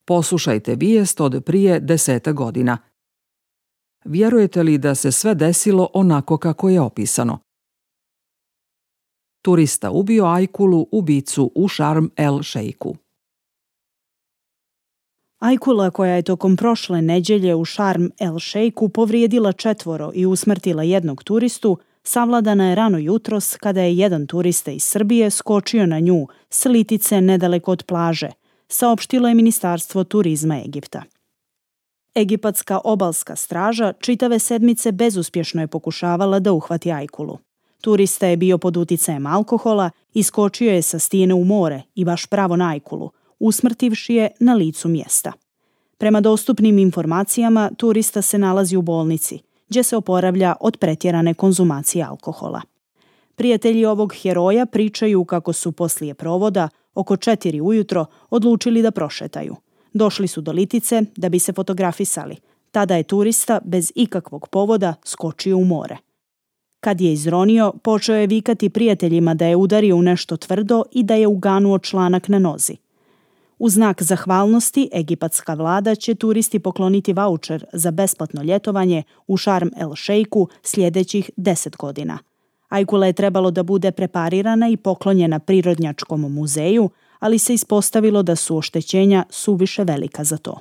Poslušajte vijest od prije 10 godina. Vjerujete li da se sve desilo onako kako je opisano? Turista ubio ajkulu ubicu u Šarm el Šejku. Ajkula koja je tokom prošle nedjelje u Šarm el Šejku povrijedila 4 i usmrtila 1 turistu, savladana je rano jutros kada je jedan turista iz Srbije skočio na nju s litice nedaleko od plaže, saopštilo je Ministarstvo turizma Egipta. Egipatska obalska straža čitave sedmice bezuspješno je pokušavala da uhvati ajkulu. Turista je bio pod uticajem alkohola i skočio je sa stijene u more i baš pravo na ajkulu, usmrtivši je na licu mjesta. Prema dostupnim informacijama, turista se nalazi u bolnici, gdje se oporavlja od pretjerane konzumacije alkohola. Prijatelji ovog heroja pričaju kako su poslije provoda, oko 4 ujutro, odlučili da prošetaju. Došli su do litice da bi se fotografisali. Tada je turista bez ikakvog povoda skočio u more. Kad je izronio, počeo je vikati prijateljima da je udario u nešto tvrdo i da je uganuo članak na nozi. U znak zahvalnosti, egipatska vlada će turisti pokloniti vaučer za besplatno ljetovanje u Šarm el Šejku sljedećih 10 godina. Ajkula je trebalo da bude preparirana i poklonjena Prirodnjačkom muzeju, ali se ispostavilo da su oštećenja suviše velika za to.